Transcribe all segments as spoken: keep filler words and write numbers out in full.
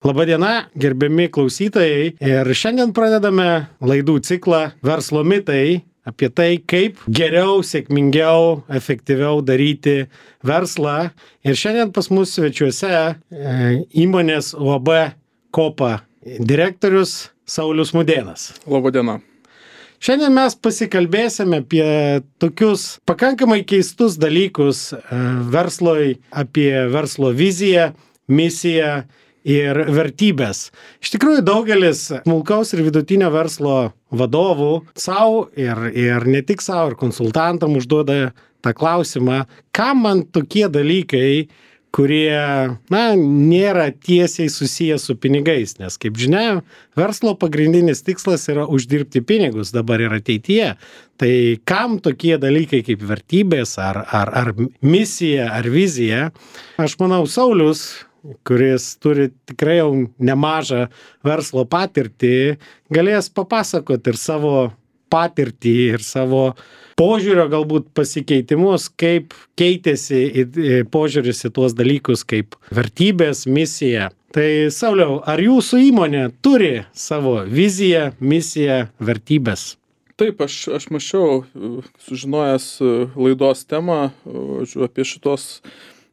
Labadiena, gerbiami klausytojai. Ir šiandien pradedame laidų ciklą Verslo mitai apie tai, kaip geriau, sėkmingiau, efektyviau daryti verslą. Ir šiandien pas mus svečiuose e, įmonės U A B Kopa direktorius Saulius Mudėnas. Labadiena. Šiandien mes pasikalbėsime apie tokius pakankamai keistus dalykus e, versloj, apie verslo viziją, misiją ir vertybės. Iš tikrųjų, daugelis smulkaus ir vidutinio verslo vadovų savo ir, ir ne tik savo, ir konsultantam užduoda tą klausimą, kam man tokie dalykai, kurie, na, nėra tiesiai susiję su pinigais, nes, kaip žinia, verslo pagrindinis tikslas yra uždirbti pinigus dabar ir ateityje. Tai kam tokie dalykai kaip vertybės, ar, ar, ar misija, ar vizija? Aš manau, Saulius, kuris turi tikrai jau nemažą verslo patirtį, galės papasakoti ir savo patirtį, ir savo požiūrio galbūt pasikeitimus, kaip keitėsi požiūris į tuos dalykus kaip vertybės, misija. Tai Sauliau, ar jūsų įmonė turi savo viziją, misiją, vertybės? Taip, aš, aš mačiau, sužinojęs laidos temą apie šitos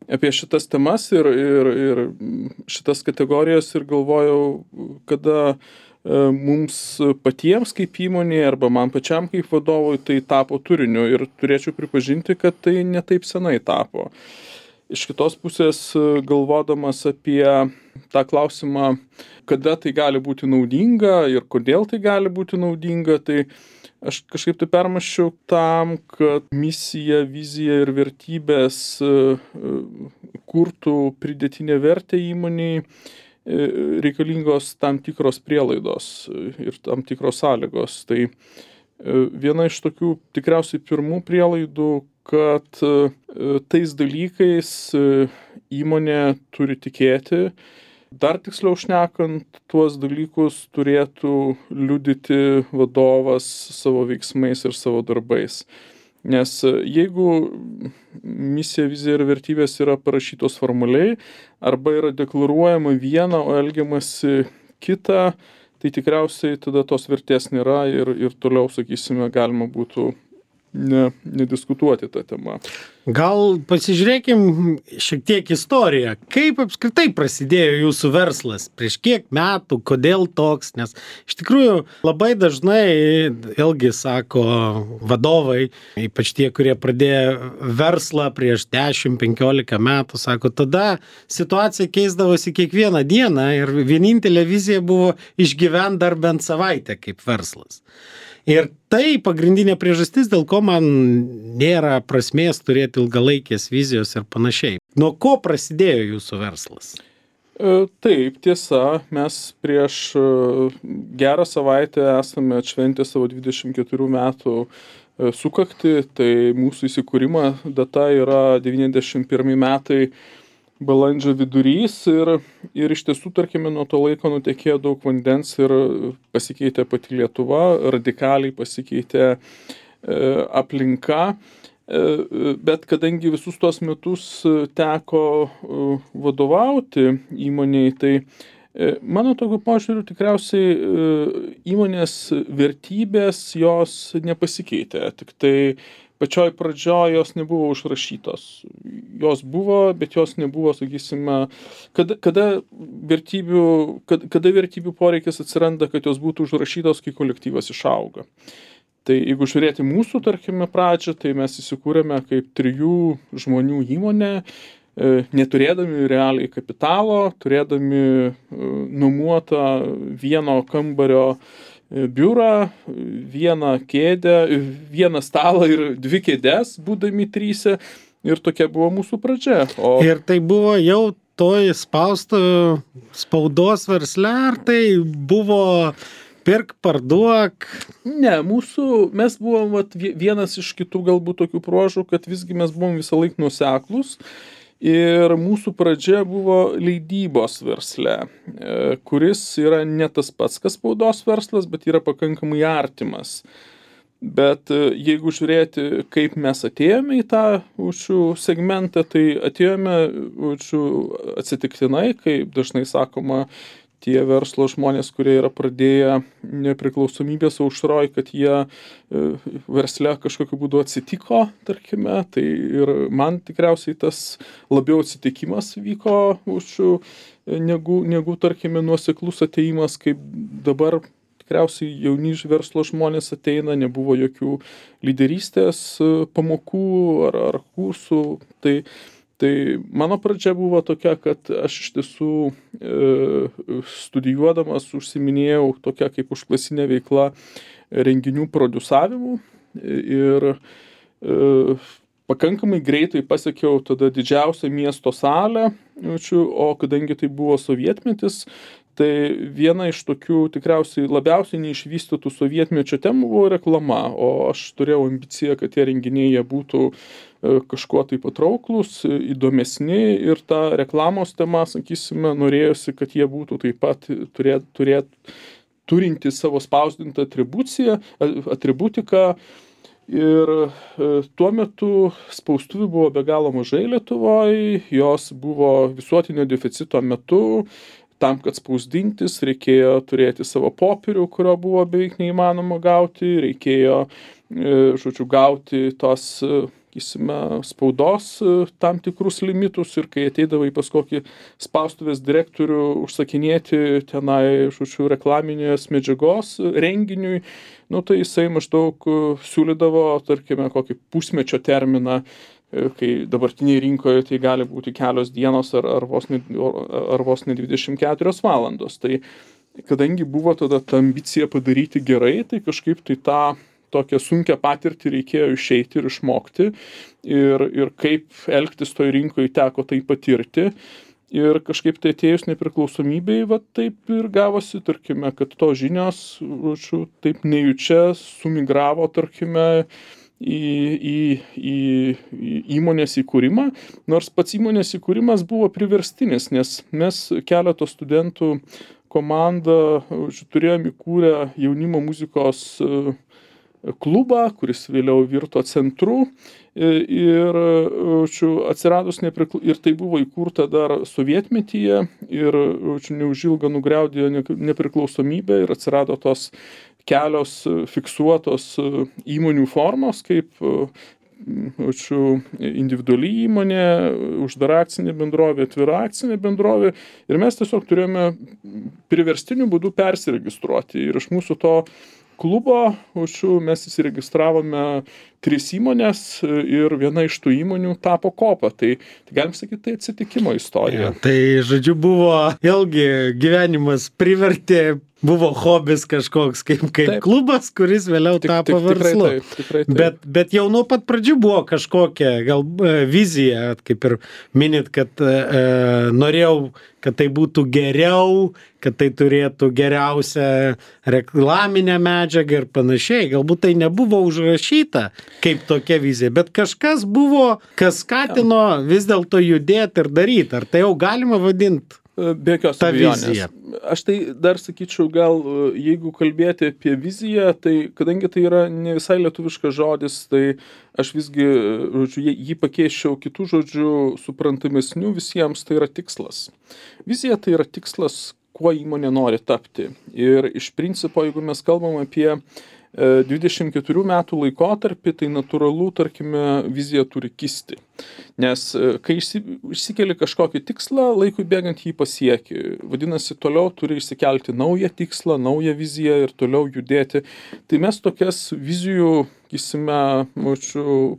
apie šitas temas ir, ir, ir šitas kategorijas ir galvojau, kada mums patiems kaip įmonė arba man pačiam kaip vadovui tai tapo turiniu ir turėčiau pripažinti, kad tai ne taip senai tapo. Iš kitos pusės, galvodamas apie tą klausimą, kada tai gali būti naudinga ir kodėl tai gali būti naudinga, tai aš kažkaip tai permąsčiau tam, kad misija, vizija ir vertybės kurtų pridėtinę vertę įmoniai, reikalingos tam tikros prielaidos ir tam tikros sąlygos. Tai viena iš tokių tikriausiai pirmų prielaidų, kad tais dalykais įmonė turi tikėti. Dar tiksliau šnekant, tuos dalykus turėtų liudyti vadovas savo veiksmais ir savo darbais. Nes jeigu misija, vizija ir vertybės yra parašytos formaliai, arba yra deklaruojama viena, o elgiamasi kita, tai tikriausiai tada tos vertės nėra ir, ir toliau, sakysime, galima būtų ne, nediskutuoti tą temą. Gal pasižiūrėkim šiek tiek istoriją. Kaip apskritai prasidėjo jūsų verslas? Prieš kiek metų? Kodėl toks? Nes iš tikrųjų labai dažnai, vėlgi sako vadovai, ypač tie, kurie pradėjo verslą prieš dešimt penkiolika metų, sako, tada situacija keisdavosi kiekvieną dieną ir vienintelė vizija buvo išgyventi dar bent savaitę kaip verslas. Ir tai pagrindinė priežastis, dėl ko man nėra prasmės turėti ilgalaikės vizijos ir panašiai. Nuo ko prasidėjo jūsų verslas? Taip, tiesa, mes prieš gerą savaitę esame atšventę savo dvidešimt keturių metų sukaktį, tai mūsų įsikūrimo data yra devyniasdešimt pirmi metai balandžio vidurys ir, ir iš tiesų, tarkime, nuo to laiko nutekėjo daug vandens ir pasikeitė pati Lietuva, radikaliai pasikeitė e, aplinka, e, bet kadangi visus tuos metus teko e, vadovauti įmonei, tai e, mano tokiu požiūriu tikriausiai e, įmonės vertybės jos nepasikeitė, tik tai pačioj pradžioj jos nebuvo užrašytos. Jos buvo, bet jos nebuvo, sakysime, kada, kada, vertybių, kada, kada vertybių poreikis atsiranda, kad jos būtų užrašytos, kai kolektyvas išauga. Tai jeigu žiūrėti mūsų, tarkime, pradžią, tai mes įsikūrėme kaip trijų žmonių įmonė, neturėdami realiai kapitalo, turėdami nuomotą vieno kambario biurą, vieną kėdę, vieną stalą ir dvi kėdes, būdami tryse, ir tokia buvo mūsų pradžia. O... Ir tai buvo jau toj spausto spaudos versle, ar tai buvo pirk, parduok? Ne, mūsų, mes buvom vat, vienas iš kitų galbūt tokių bruožų, kad visgi mes buvom visą laiką nuoseklūs. Ir mūsų pradžia buvo leidybos versle, kuris yra ne tas pats, kas spaudos verslas, bet yra pakankamai artimas. Bet jeigu žiūrėti, kaip mes atėjome į tą učių segmentą, tai atėjome učių atsitiktinai, kaip dažnai sakoma, tie verslo žmonės, kurie yra pradėję nepriklausomybės aušroj, kad jie versle kažkokiu būdu atsitiko, tarkime, tai ir man tikriausiai tas labiau atsitikimas vyko učių negu, negu tarkime, nuoseklus atėjimas, kaip dabar tikriausiai jauni verslo žmonės ateina, nebuvo jokių lyderystės pamokų ar, ar kursų. Tai, tai mano pradžia buvo tokia, kad aš iš tiesų e, studijuodamas užsiminėjau tokia kaip užklasinė veikla renginių produsavimu ir e, pakankamai greitai pasiekiau tada didžiausią miesto salę, o kadangi tai buvo sovietmetis, tai viena iš tokių tikriausiai labiausiai neišvystytų sovietmečio temų buvo reklama, o aš turėjau ambiciją, kad tie renginiai jie būtų kažkuo tai patrauklus, įdomesni ir ta reklamos tema, sakysime, norėjosi, kad jie būtų taip pat turėt, turėt, turinti savo spausdintą atribuciją, atributiką. Ir tuo metu spaustuvių buvo be galo mažai Lietuvoje, jos buvo visuotinio deficito metu. Tam, kad spausdintis, reikėjo turėti savo popierių, kurio buvo beveik neįmanoma gauti, reikėjo, žodžiu, gauti tos, sakysime, spaudos tam tikrus limitus ir kai ateidavai pas kokį spaustuvės direktorių užsakinėti tenai, žodžiu, reklaminės medžiagos renginiui, nu tai jisai maždaug siūlydavo, tarkime, kokį pusmečio terminą, kai dabartinėje rinkoje tai gali būti kelios dienos ar, ar, vos ne, ar vos ne dvidešimt keturios valandos. Tai kadangi buvo tada ta ambicija padaryti gerai, tai kažkaip tai tą tokią sunkią patirtį reikėjo išeiti ir išmokti ir, ir kaip elgtis toj rinkoje teko tai patirti. Ir kažkaip tai atėjus nepriklausomybei, va taip ir gavosi, tarkime, kad to žinios, žodžiu, taip nejučia sumigravo, tarkime, į, į, į, į įmonės įkūrimą, nors pats įmonės įkūrimas buvo priverstinis, nes mes keletos studentų komandą turėjom įkūrę jaunimo muzikos klubą, kuris vėliau virto centru ir, atsiradus neprikla... ir tai buvo įkurta dar sovietmetyje ir neužilgo nugriaudėjo nepriklausomybę ir atsirado tos kelios fiksuotos įmonių formos, kaip individuali įmonė, uždara akcinė bendrovė, atvira akcinė bendrovė. Ir mes tiesiog turėjome priverstiniu būdu persiregistruoti. Ir iš mūsų to klubo mes įsiregistravome tris įmonės ir viena iš tų įmonių tapo Kopa. Tai, tai galim sakyti, tai atsitikimo istorija. Ja, tai, žodžiu, buvo ilgi gyvenimas privertė, buvo hobis kažkoks kaip, kaip klubas, kuris vėliau tik, tapo tik, verslu. Tikrai taip, tikrai taip. Bet, bet jau nuo pat pradžių buvo kažkokia gal vizija, kaip ir minit, kad e, norėjau, kad tai būtų geriau, kad tai turėtų geriausią reklaminę medžiagą ir panašiai. Galbūt tai nebuvo užrašyta kaip tokia vizija, bet kažkas buvo, kas skatino vis dėlto judėti ir daryti. Ar tai jau galima vadinti? Be jokios abejonės. Aš tai dar sakyčiau, gal jeigu kalbėti apie viziją, tai kadangi tai yra ne visai lietuviškas žodis, tai aš visgi, žodžiu, jį pakeičiau kitų žodžių suprantamesnių visiems, tai yra tikslas. Vizija tai yra tikslas, kuo įmonė nori tapti. Ir iš principo, jeigu mes kalbam apie dvidešimt keturių metų laikotarpį, tai natūralu, tarkime, vizija turi kisti. Nes kai išsikeli kažkokį tikslą, laikui bėgant jį pasieki. Vadinasi, toliau turi išsikelti naują tikslą, naują viziją ir toliau judėti. Tai mes tokias vizijų, sakysime,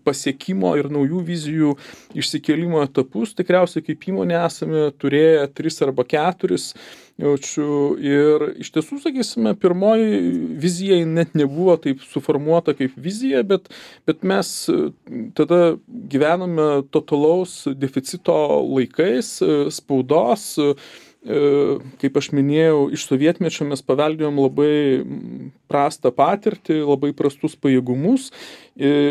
pasiekimo ir naujų vizijų išsikelimo etapus tikriausiai kaip įmonė esame turėję tris arba keturis. Jaučiu, ir iš tiesų, sakysime, pirmoji vizija net nebuvo taip suformuota kaip vizija, bet, bet mes tada gyvename totalaus deficito laikais, spaudos, kaip aš minėjau, iš sovietmečio mes paveldėjom labai prastą patirtį, labai prastus pajėgumus,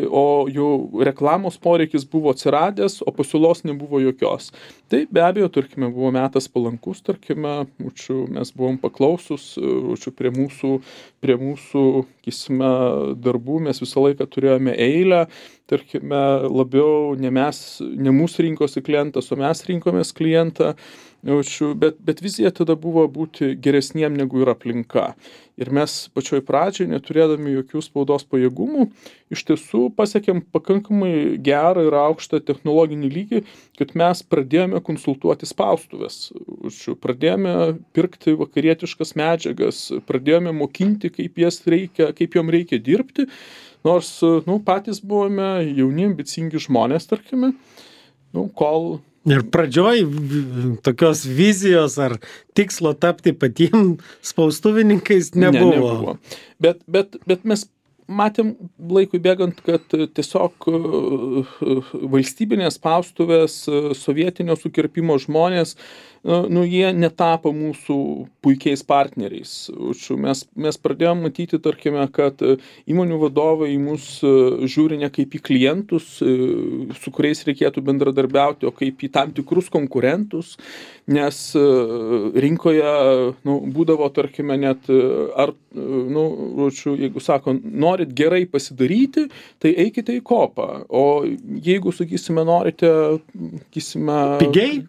o jau reklamos poreikis buvo atsiradęs, o pasiūlos nebuvo jokios. Tai be abejo, tarkime, buvo metas palankus, tarkime, učiu, mes buvom paklausus, učiu, prie mūsų, prie mūsų, kisime, darbų mes visą laiką turėjome eilę, tarkime, labiau ne mes, ne mūsų rinkosi klientas, o mes rinkomės klientą, učiu, bet, bet vizija tada buvo būti geresniem negu yra aplinka. Ir mes pačioj pradžiai, neturėdami jokių spaudos pajėgumų, iš tiesų pasiekėm pakankamai gerą ir aukštą technologinį lygį, kad mes pradėjome konsultuoti spaustuvės. Pradėjome pirkti vakarietiškas medžiagas, pradėjome mokinti, kaip jas reikia, kaip jom reikia dirbti, nors nu, patys buvome jauni, ambicingi žmonės, tarkime, nu, kol... Ir pradžioj tokios vizijos ar tikslo tapti patiem spaustuvininkais nebuvo. Ne, nebuvo. Bet, bet, bet mes matėm laikui bėgant, kad tiesiog valstybinės spaustuvės, sovietinio sukirpimo žmonės, nu, jie netapo mūsų puikiais partneriais. Mes, mes pradėjom matyti, tarkime, kad įmonių vadovai į mus žiūri ne kaip į klientus, su kuriais reikėtų bendradarbiauti, o kaip į tam tikrus konkurentus, nes rinkoje nu, būdavo, tarkime, net, ar, nu, jeigu sako, norit gerai pasidaryti, tai eikite į kopą. O jeigu, sakysime, norite, sakysime, pigiai,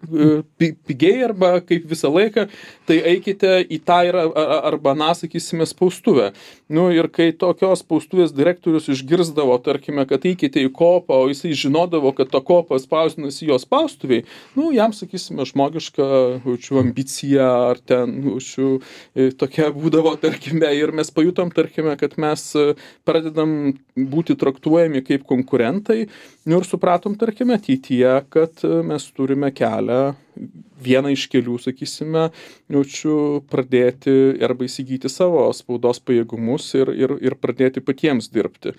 pi, pigiai arba kaip visą laiką, tai eikite į tą ir arba, na, sakysime, spaustuvę. Nu, ir kai tokios spaustuvės direktorius išgirzdavo, tarkime, kad eikite į kopą, o jisai žinodavo, kad to kopą spausdinasi jo spaustuviai, nu, jam, sakysime, žmogiška, učiu, ambicija ar ten, učiu, tokia būdavo, tarkime, ir mes pajutom, tarkime, kad mes pradedam būti traktuojami kaip konkurentai, nu, ir supratom, tarkime, ateityje, kad mes turime kelią vieną iš kelių, sakysime, jaučiu pradėti arba įsigyti savo spaudos pajėgumus ir, ir, ir pradėti patiems dirbti.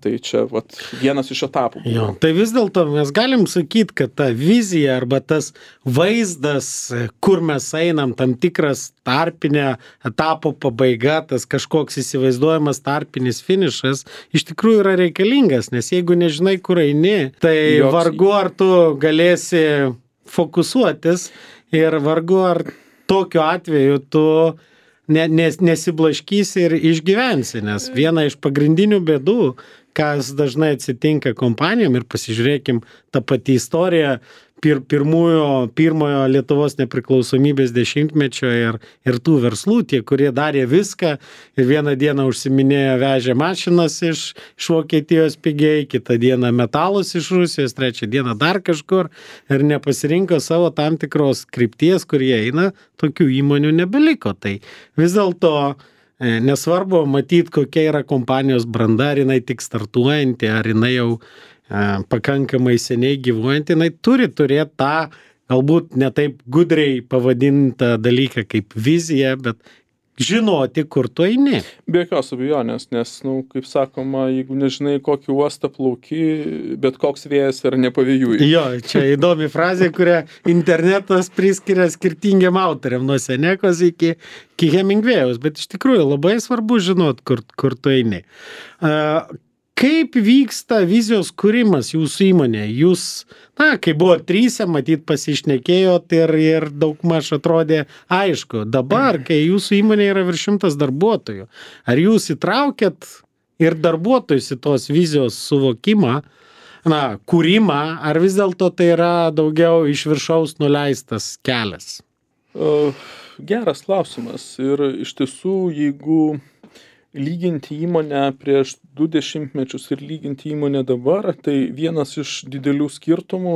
Tai čia vat, vienas iš etapų. Jo, tai vis dėlto mes galim sakyti, kad ta vizija arba tas vaizdas, kur mes einam, tam tikras tarpinė etapo pabaiga, tas kažkoks įsivaizduojamas tarpinis finišas, iš tikrųjų yra reikalingas, nes jeigu nežinai, kur eini, tai Joks... vargu ar tu galėsi fokusuotis ir vargu ar tokiu atveju tu ne, nes, nesiblaškysi ir išgyvensi, nes viena iš pagrindinių bėdų, kas dažnai atsitinka kompanijom ir pasižiūrėkim tą patį istoriją pir, pirmųjo, pirmojo Lietuvos nepriklausomybės dešimtmečio ir, ir tų verslų, tie, kurie darė viską ir vieną dieną užsiminėjo vežė mašinas iš, iš Vokietijos pigiai, kitą dieną metalus iš Rusijos, trečią dieną dar kažkur ir nepasirinko savo tam tikros krypties, kur jie eina, tokių įmonių nebeliko. Tai vis dėlto nesvarbu matyti, kokia yra kompanijos branda, ar jinai tik startuojanti, ar jinai jau pakankamai seniai gyvuojant, jinai turi turėti tą, galbūt ne taip gudriai pavadintą dalyką kaip vizija, bet žinoti, kur tu eini. Be jokios abejonės, nes, nu, kaip sakoma, jeigu nežinai, kokį uostą plauki, bet koks vėjas yra nepavėjui. Jo, čia įdomi frazė, kurią internetas priskiria skirtingiam autoriam, nuo Senekos iki, iki Hemingvėjaus, bet iš tikrųjų labai svarbu žinot, kur, kur tu eini. Uh, Kaip vyksta vizijos kūrimas jūsų įmonėje? Jūs, na, kai buvo tryse, matyt, pasišnekėjot ir, ir daugmaž atrodė aišku. Dabar, kai jūsų įmonėje yra virš šimtas darbuotojų, ar jūs įtraukėt ir darbuotojus į tos vizijos suvokimą, na, kūrimą, ar vis dėlto tai yra daugiau iš viršaus nuleistas kelias? Uh, geras klausimas. Ir iš tiesų, jeigu lyginti įmonę prieš du dešimtmečius ir lyginti įmonę dabar, tai vienas iš didelių skirtumų,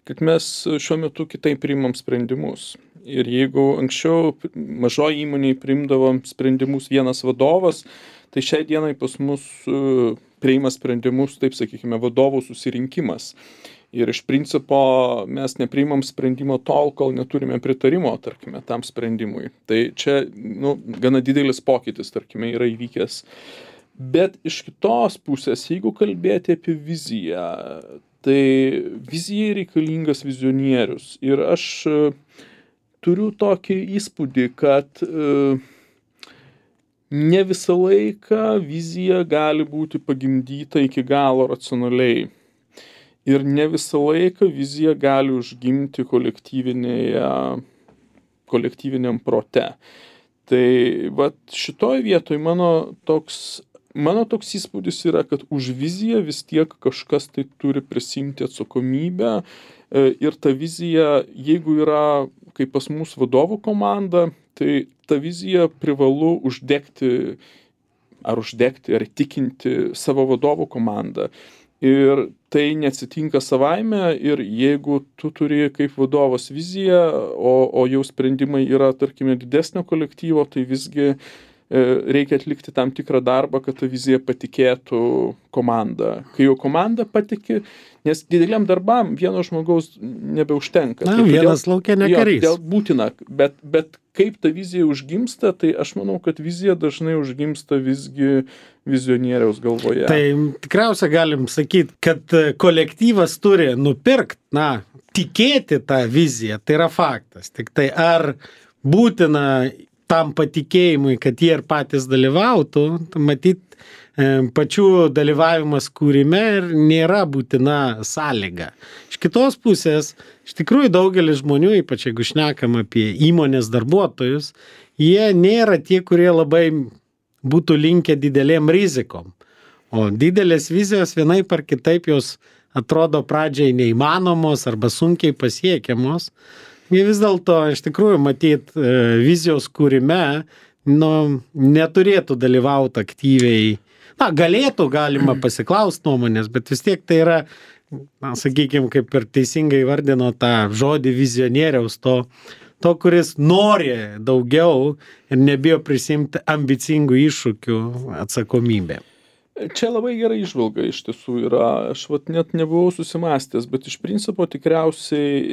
kad mes šiuo metu kitaip priimam sprendimus. Ir jeigu anksčiau mažoji įmonėje priimdavom sprendimus vienas vadovas, tai šiai dienai pas mus priima sprendimus, taip sakykime, vadovų susirinkimas. Ir iš principo mes nepriimam sprendimo tol, kol neturime pritarimo, tarkime, tam sprendimui. Tai čia, nu, gana didelis pokytis, tarkime, yra įvykęs. Bet iš kitos pusės, jeigu kalbėti apie viziją, tai vizijai reikalingas vizionierius. Ir aš turiu tokį įspūdį, kad ne visą laiką vizija gali būti pagimdyta iki galo racionaliai. Ir ne visą laiką vizija gali užgimti kolektyvinėje, kolektyviniam prote. Tai vat šitoj vietoj mano toks, mano toks įspūdis yra, kad už viziją vis tiek kažkas tai turi prisimti atsakomybę. Ir ta vizija, jeigu yra, kaip pas mus vadovų komanda, tai ta vizija privalu uždegti, ar uždegti, ar įtikinti savo vadovų komandą. Ir tai neatsitinka savaime ir jeigu tu turi kaip vadovas viziją, o, o jau sprendimai yra, tarkime, didesnio kolektyvo, tai visgi e, reikia atlikti tam tikrą darbą, kad ta vizija patikėtų komanda. Kai jau komanda patiki, nes dideliam darbam vieno žmogaus nebeužtenka. Na, tai vienas laukia ne karys. Dėl būtina, bet, bet kaip ta vizija užgimsta, tai aš manau, kad vizija dažnai užgimsta visgi vizionieriaus galvoje. Tai tikriausiai galim sakyti, kad kolektyvas turi nupirkti, na, tikėti tą viziją, tai yra faktas. Tik tai ar būtina tam patikėjimui, kad jie ir patys dalyvautų, matyt, pačių dalyvavimas kūrime ir nėra būtina sąlyga. Iš kitos pusės, iš tikrųjų daugelis žmonių, ypač jeigu šnekam apie įmonės darbuotojus, jie nėra tie, kurie labai būtų linkę didelėm rizikom. O didelės vizijos vienaip ar kitaip jos atrodo pradžiai neįmanomos arba sunkiai pasiekiamos. Jie vis dėlto, iš tikrųjų, matyt, vizijos kūrime nu, neturėtų dalyvauti aktyviai. Na, galėtų, galima pasiklausti nuomonės, bet vis tiek tai yra, na, sakykime, kaip ir teisingai vardino tą žodį vizionieriaus, to, to, kuris nori daugiau ir nebijo prisimti ambicingų iššūkių atsakomybę. Čia labai gerai įžvalga iš tiesų yra. Aš vat net nebuvau susimąstęs, bet iš principo tikriausiai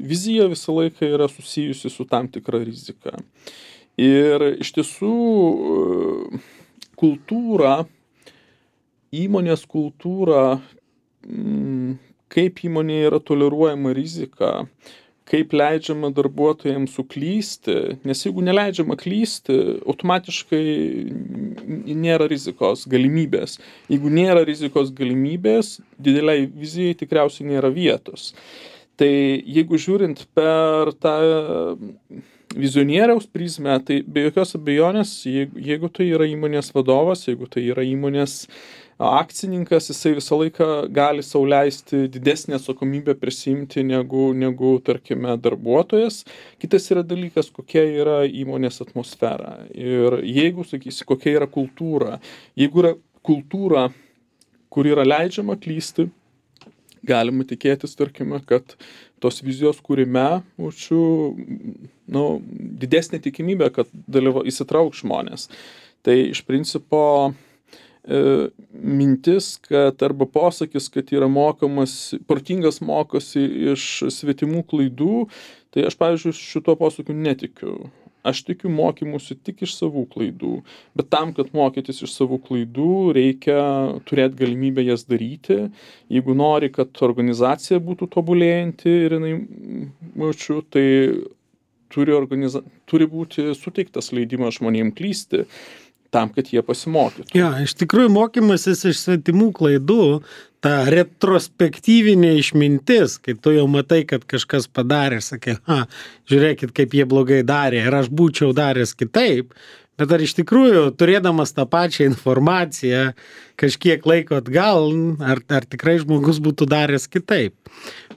vizija visą laiką yra susijusi su tam tikra rizika. Ir iš tiesų kultūra, įmonės kultūra, kaip įmonėje yra toleruojama rizika, kaip leidžiama darbuotojams suklysti, nes jeigu neleidžiama klysti, automatiškai nėra rizikos galimybės. Jeigu nėra rizikos galimybės, dideliai vizijai tikriausiai nėra vietos. Tai jeigu žiūrint per tą vizionieriaus prizmę, tai be jokios abejonės, jeigu, jeigu tai yra įmonės vadovas, jeigu tai yra įmonės akcininkas, jisai visą laiką gali sau leisti didesnę atsakomybę prisiimti negu, negu, tarkime, darbuotojas. Kitas yra dalykas, kokia yra įmonės atmosfera. Ir jeigu, sakysi, kokia yra kultūra, jeigu yra kultūra, kur yra leidžiama klysti, galima tikėtis, tarkime, kad tos vizijos kūrime būčiau, nu, didesnė tikimybė, kad dalyva, įsitrauk žmonės. Tai iš principo e, mintis, kad arba posakis, kad yra mokamas, protingas mokosi iš svetimų klaidų, tai aš, pavyzdžiui, šito posakiu netikiu. Aš tikiu mokymusi tik iš savų klaidų, bet tam, kad mokytis iš savų klaidų, reikia turėti galimybę jas daryti. Jeigu nori, kad organizacija būtų tobulėjanti ir jinai, mačiu, tai turi, organiza... turi būti suteiktas leidimas žmonėms klysti, tam, kad jie pasimokytų. Ja, iš tikrųjų, mokymasis iš svetimų klaidų, ta retrospektyvinė išmintis, kai tu jau matai, kad kažkas padarė, sakai, ha, žiūrėkit, kaip jie blogai darė ir aš būčiau daręs kitaip, bet ar iš tikrųjų, turėdamas tą pačią informaciją, kažkiek laiko atgal, ar, ar tikrai žmogus būtų daręs kitaip.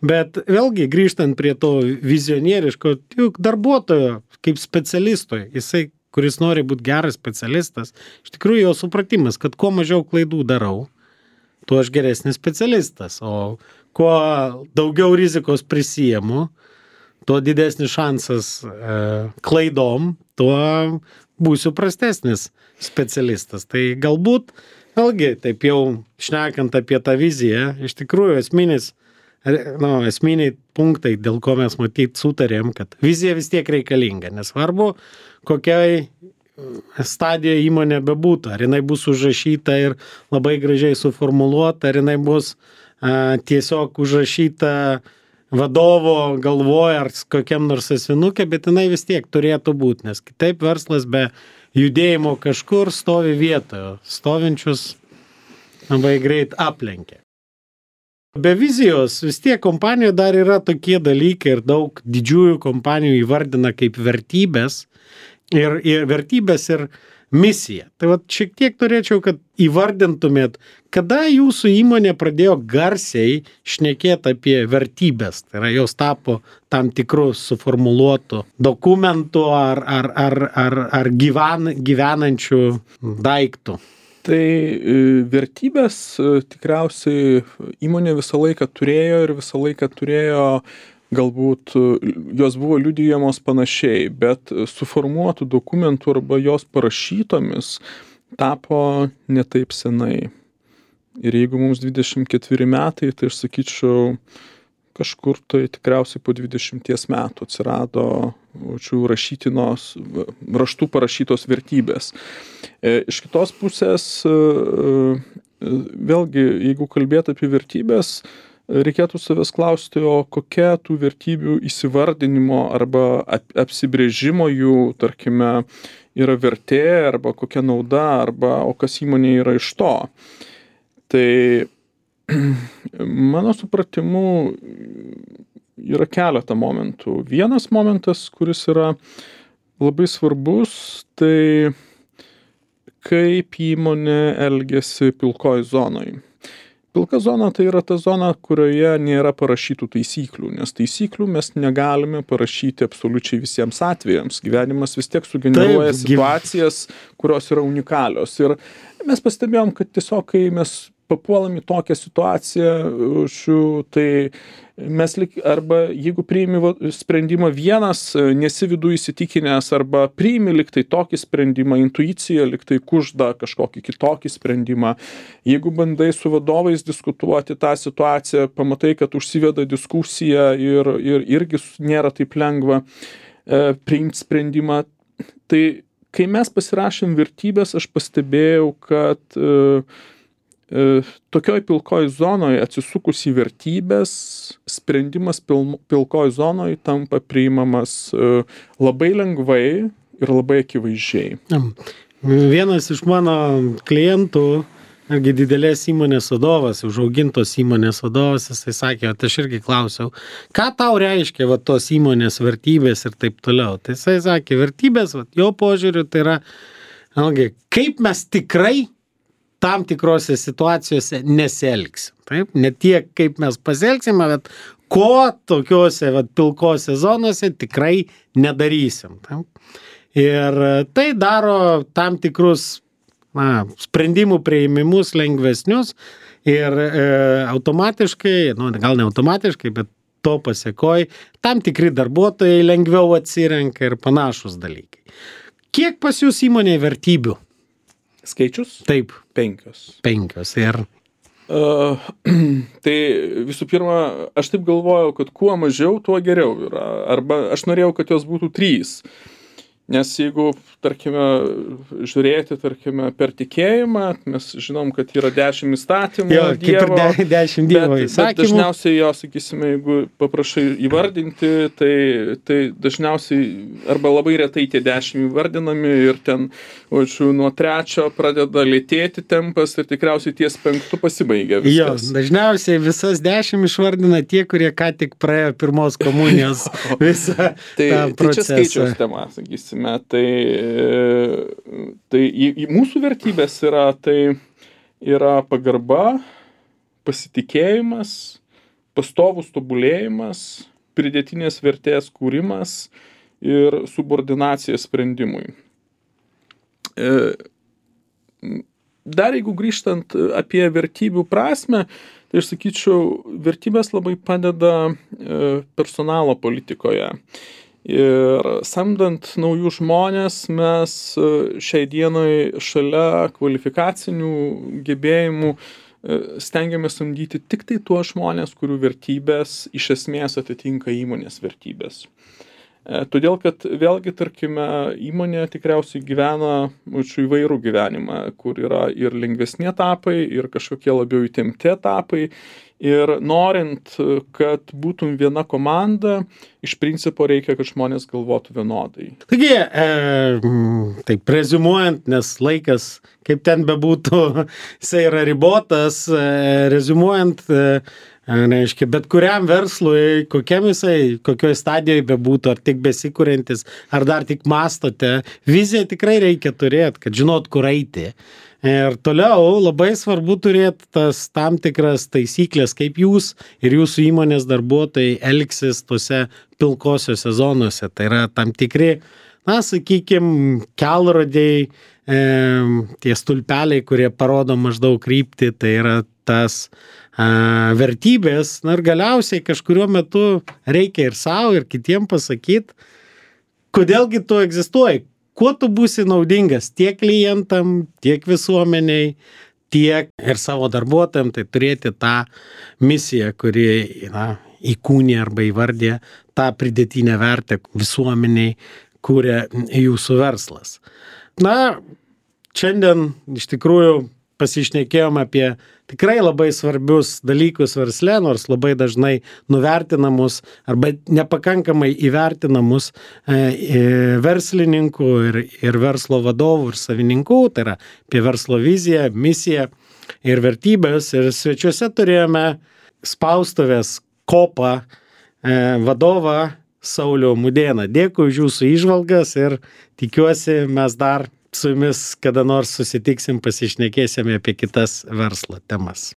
Bet vėlgi, grįžtant prie to vizionieriško, juk darbuotojo kaip specialistoj, jisai kuris nori būti geras specialistas, iš tikrųjų jo supratimas, kad kuo mažiau klaidų darau, tuo aš geresnis specialistas, o kuo daugiau rizikos prisiemu, tuo didesnis šansas e, klaidom, tuo būsiu prastesnis specialistas. Tai galbūt, vėlgi, taip jau šnekant apie tą viziją, iš tikrųjų esminis, nu, esminiai punktai, dėl ko mes matyt sutarėm, kad vizija vis tiek reikalinga, nesvarbu, kokiai stadijoje įmonė bebūtų, ar jinai bus užrašyta ir labai gražiai suformuluota, ar jinai bus a, tiesiog užrašyta vadovo galvoje ar kokiam nors asmenukė, bet jinai vis tiek turėtų būti, nes kitaip verslas be judėjimo kažkur stovi vietoje, stovinčius labai greit aplenkia. Be vizijos vis tiek kompanijoje dar yra tokie dalykai ir daug didžiųjų kompanijų įvardina kaip vertybės ir, ir vertybės ir misiją. Tai vat šiek tiek norėčiau, kad įvardintumėt, kada jūsų įmonė pradėjo garsiai šnekėti apie vertybės. Tai yra, jos tapo tam tikrų suformuluotų dokumentų ar, ar, ar, ar, ar gyven, gyvenančių daiktų. Tai vertybės tikriausiai įmonė visą laiką turėjo ir visą laiką turėjo, galbūt jos buvo liudijamos panašiai, bet suformuotų dokumentų arba jos parašytomis tapo ne taip senai. Ir jeigu mums dvidešimt ketveri metai, tai aš sakyčiau, kažkur tai tikriausiai po dvidešimties metų atsirado šių rašytinos, raštų parašytos vertybės. Iš kitos pusės, vėlgi, jeigu kalbėt apie vertybės, reikėtų savęs klausti, o kokia tų vertybių įsivardinimo arba apsibrėžimo jų, tarkime, yra vertė, arba kokia nauda, arba o kas įmonė yra iš to. Tai mano supratimu yra keletą momentų. Vienas momentas, kuris yra labai svarbus, tai kaip įmonė elgiasi pilkoj zonoj. Pilka zona tai yra ta zona, kurioje nėra parašytų taisyklių, nes taisyklių mes negalime parašyti absoliučiai visiems atvejams. Gyvenimas vis tiek sugeneruoja Taip, situacijas, kurios yra unikalios. Ir mes pastebėjom, kad tiesiog, kai mes papuolam į tokią situaciją, šių, tai mes lik, arba jeigu priimi sprendimą vienas, nesi viduje įsitikinęs, arba priimi liktai tokį sprendimą, intuicija liktai kužda kažkokį kitokį sprendimą. Jeigu bandai su vadovais diskutuoti tą situaciją, pamatai, kad užsiveda diskusija ir, ir irgi nėra taip lengva e, priimti sprendimą. Tai kai mes pasirašėm vertybės, aš pastebėjau, kad e, tokioj pilkoj zonoj atsisukus į vertybės, sprendimas pil, pilkoj zonoj tampa priimamas labai lengvai ir labai akivaizdžiai. Vienas iš mano klientų, irgi didelės įmonės vadovas, užaugintos įmonės vadovas, jisai sakė, kad aš irgi klausiau, ką tau reiškia va, tos įmonės vertybės ir taip toliau. Tai jisai sakė, vertybės, va, jo požiūriu, tai yra, algi, kaip mes tikrai tam tikrose situacijose nesielgsim. Taip? Ne tiek, kaip mes pasielgsime, bet ko tokiuose vat, pilkose zonose tikrai nedarysim. Taip? Ir tai daro tam tikrus na, sprendimų priėmimus lengvesnius ir e, automatiškai, nu, gal ne automatiškai, bet to pasekoj, tam tikri darbuotojai lengviau atsirenka ir panašus dalykai. Kiek pas jūs įmonėje vertybių? Skaičius? Taip. Penkios. Penkios. Ir... Uh, tai visų pirma, aš taip galvojau, kad kuo mažiau, tuo geriau yra. Arba aš norėjau, kad jos būtų trys. Nes jeigu, tarkime, žiūrėti, tarkime, per tikėjimą, mes žinom, kad yra dešimt įstatymų jo, Dievo. Kaip ir de, dešimt Dievo įsakymų. Bet dažniausiai jo, sakysime, jeigu paprašai įvardinti, tai, tai dažniausiai arba labai retai tie dešimt įvardinami ir ten, očiu, nuo trečio pradeda lėtėti tempas ir tikriausiai ties penktu pasibaigia viskas. Jo, dažniausiai visas dešimt išvardina tie, kurie ką tik praėjo pirmos komunijos visą tai, tą procesą. Tai čia skaičiaus tema, sakysime. Tai, tai į, į mūsų vertybės yra, tai yra pagarba, pasitikėjimas, pastovus tobulėjimas, pridėtinės vertės kūrimas ir subordinacija sprendimui. Dar jeigu grįžtant apie vertybių prasme, tai aš sakyčiau, vertybės labai padeda personalo politikoje. Ir samdant naujus žmonės, mes šiai dienai šalia kvalifikacinių gebėjimų stengiamės samdyti tik tai tuos žmonės, kurių vertybės iš esmės atitinka įmonės vertybės. Todėl, kad vėlgi, tarkime, įmonė tikriausiai gyvena mūsų įvairų gyvenimą, kur yra ir lengvesni etapai, ir kažkokie labiau įtempti etapai. Ir norint, kad būtum viena komanda, iš principo reikia, kad žmonės galvotų vienodai. Taigi, e, taip reziumuojant, nes laikas, kaip ten bebūtų, jisai yra ribotas, e, reziumuojant, e, reiškia, bet kuriam verslui, kokiam jisai, kokioj stadijoje bebūtų, ar tik besikuriantis, ar dar tik mastote, viziją tikrai reikia turėti, kad žinot, kur eiti. Ir toliau labai svarbu turėti tas tam tikras taisyklės, kaip jūs ir jūsų įmonės darbuotojai elgsis tose pilkosiuose zonuose. Tai yra tam tikri, na, sakykime, kelrodžiai, e, tie stulpeliai, kurie parodo maždaug kryptį, tai yra tas e, vertybės. Na ir galiausiai kažkuriuo metu reikia ir savo, ir kitiem pasakyti, kodėlgi tu egzistuoji. Kuo tu būsi naudingas tiek klientam, tiek visuomeniai, tiek ir savo darbuotojams, tai turėti tą misiją, kuri na, įkūnė arba įvardė tą pridėtinę vertę visuomeniai, kuria jūsų verslas. Na, šiandien iš tikrųjų pasišnekėjom apie tikrai labai svarbius dalykus versle, nors labai dažnai nuvertinamus arba nepakankamai įvertinamus e, verslininkų ir, ir verslo vadovų ir savininkų, tai yra apie verslo viziją, misiją ir vertybės. Ir svečiuose turėjome spaustuvės Kopa e, vadovą Saulių Mudėną. Dėkui už jūsų įžvalgas ir tikiuosi mes dar su jumis kada nors susitiksim, pasišnekėsime apie kitas verslo temas.